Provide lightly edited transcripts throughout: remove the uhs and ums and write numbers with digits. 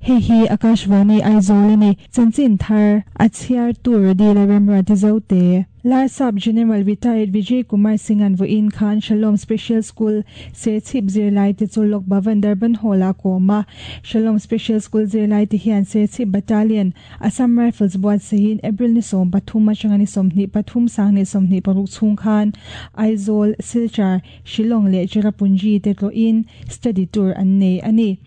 Hei hi Akashvani Aizawl a ni. Chanchin thar a chhiartu Radila Remruati Zote. Larsap General Retired Vijay Kumar Singh-a'n vawiin khan Shalom Special School, Serchhip zirlaite chu Lok Bhavan Durban Hall-ah a kawm a. Shalom Special School zirlaite hian Serchhip Battalion, Assam Rifles buatsaihin April ni 13 atanga ni 23 sang 26 chhung khan Aizawl, Silchar, Shillong leh Cherrapunji te tlawhin study tour an nei a ni.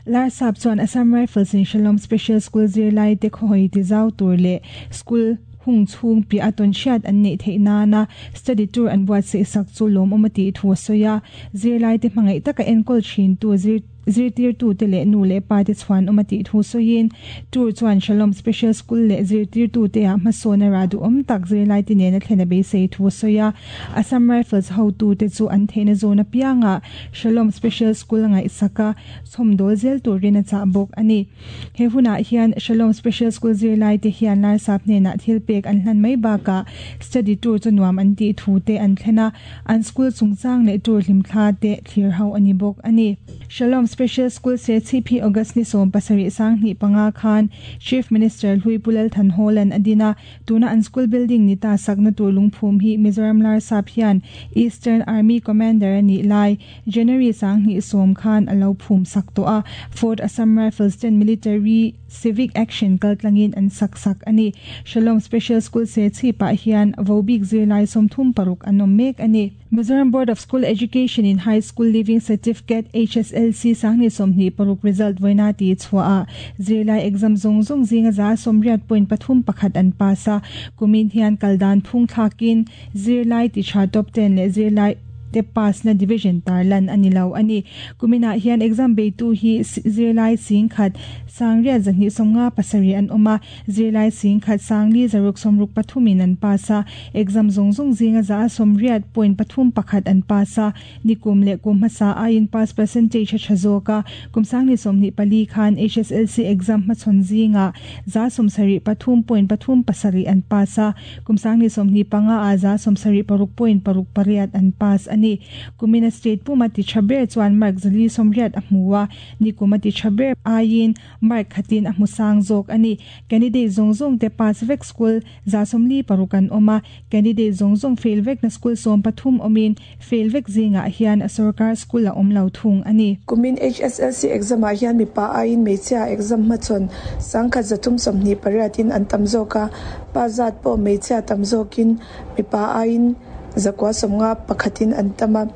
Larsap chuan Assam Rifles in Shalom Special School zirlai te khawhawi ti zau tur leh school hung chhung piah a tawn hriat an neih theih nana study tour an buatsaih sak chu lawmawm a tih thu a sawi a. Zirlai te hmangaih taka enkawl thintu zir Zirtirtute leh nu leh pate chhuanawm a tih thu sawiin, Tour chuan Shalom Special School leh zirtirtute-ah hmasawn a rah duhawm tak zirlaite nena thlen a beisei thu a sawi a. Assam Rifles hotute chu an theihna zawn apiangah Shalom Special School a ngaihsak a, chhawmdawl zel turin a chah bawk a ni. He hunah hian Shalom Special School zirlaite hian Larsap hnenah thil pek an hlan mai bakah study tour chu nuam an tih thu te an thlen a, an school chungchang leh tour hlimthla te thlir ho a ni bawk a ni. Shalom Special School Serchhip hi August ni 17 2005 khan Chief Minister Hlui Pu Lal Thanhawla'n a din a, tuna an school building ni ta sakna tur lungphum hi Mizoram Larsap hian Eastern Army Commander a nih lai January 2010 khan a lo phum sak tawh a, Fort Assam Rifles ten Military Civic Action kaltlangin an sak sak a ni. Shalom Special School Serchhipah hian vobik zirlai 36 an awm mek a ni. Mizoram Board of School Education in High School Leaving Certificate, HSLC, 2026 result vawiina tih chhuahah zirlai exam zawng zawng zinga 80.31 an pass a, kumin hian kal dan phung thlakin zirlai ti tha top 10 leh zirlai te pass na division tarlan a ni lo a ni. Kuminah hian exam beitu hi zirlai 10,000 6,257 an awm a, Zirlai 10,000 463 in an pass a, exam zawng zawng zinga 80.31 an pass a, nikum leh kum hmasa aiin pass percentage a tha zawk a, kum 2024 khan HSLC exam hmachhawn zingah 73.37 an pass a, kum 2025 ah 76.68 an pass a ni. Kumina state puma ti tha ber chuan mark 480 a hmu a, nikum a ti tha ber aiin Mark khatin a hmu sang zawk a ni. Candidate zawng zawng te pass vek school 46 an awm a, candidate zawng zawng fail vekna school 13 awmin fail vek zingah hian sorkar school a awm lo thung a ni. Kumin HSLC exam ah hian mipa aiin hmeichhia exam hmachhawn 1,328 in an tam zawk a, pa zat pawh hmeichhia tam zawkin mipa aiin 951 in an tam a,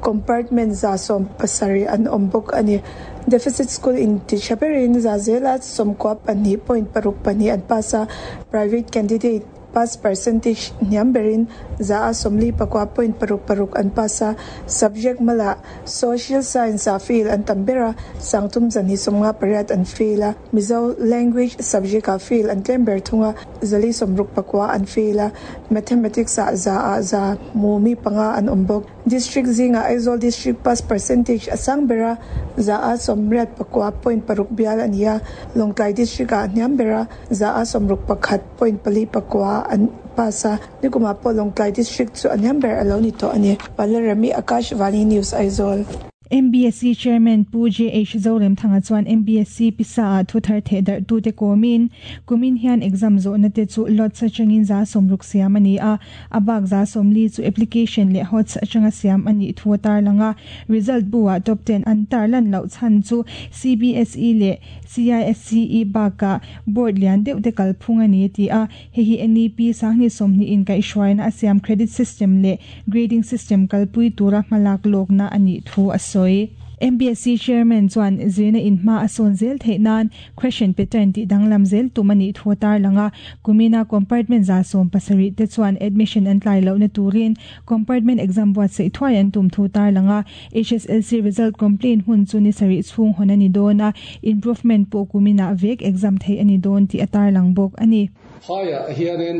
compartment 70 an awm bawk a ni. Deficit school in ti tha berin za zela 92.62 an pass a, private candidate pass percentage hniam berin za a 49.66 an pass a, subject mala social science ah fail an tam ber a, 3,258 an fail a, Mizo language subject ah fail an tlem ber thung a, 469 an fail a, mathematics ah za ah za hmu mi panga an awm bawk. District zingah Aizawl District pass percentage a sang ber a, za a 89.6 bial a ni a, Lawngtlai District ah hniam ber a, za a 61.49 an pass a, nikumah pawh Lawngtlai District chu a hniam ber a lo ni tawh a ni. Palarami Akashvani News Aizawl. MBSC Chairman Pu JH Zoremthanga chuan MBSC pisa ah thu thar theh darh tute kawmin, kumin hian exam zawhna te chu lots atangin 60 siam a ni a, a bak 40 chu application leh hots atanga siam a nih thu a tarlang a. Result bu ah top 10 an tarlan loh chhan chu CBSE leh CISCE bakah board lian deuh te kalphung a ni a ti a. Hei hi NEP 2020 in kaihhruaina a siam credit system leh grading system kalpui tura hmalak lawkna a nih thu a sawi. MBSC Chairman chuan zirna in hma a sawn zel theih nan question pattern tih danglam zel tum a nih thu a tarlang a. Kumina compartment 70 te chuan admission an tlai lohna turin compartment exam buatsaih thuai an tum thu tarlang a. HSLC result complaint hun chu ni sarih chhung hawn a ni dawn a, improvement pawh kuminah vek exam theih a ni dawn tih a tarlang bawk a ni. Phaiah hianin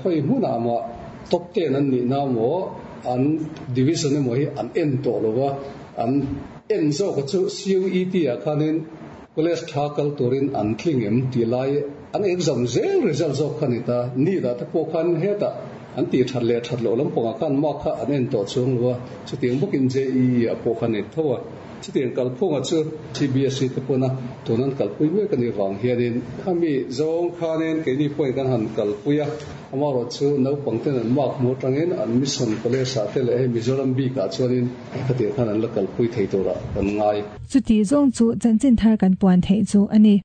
khawi hmunah mah top 10 an nihna maw an division emaw hi an en tawh lo va, an en zawk a chu CUET ah khanin college tha kal turin an tling em tih lai an exam zel result zawk kha ni ta. NEET ah te pawh khan hetah. An tih that leh that loh lampangah khan mark kha an en tawh chuang lo a, chutiang bawkin JEE ah pawh kha ni tho a. Chutiang kalphunga chu CBSE te pawna tun an kalpui mek a nih vang hianin khami zawng khanin keini pawhin kan han kalpui a, amaherawhchu naupang ten an mark hmu atangin an mission college ah te leh hei Mizoram bikah chuanin khatiang khan an la kalpui thei turah kan ngai. Chuti zawng chu chanchin thar kan puan theih chu a ni.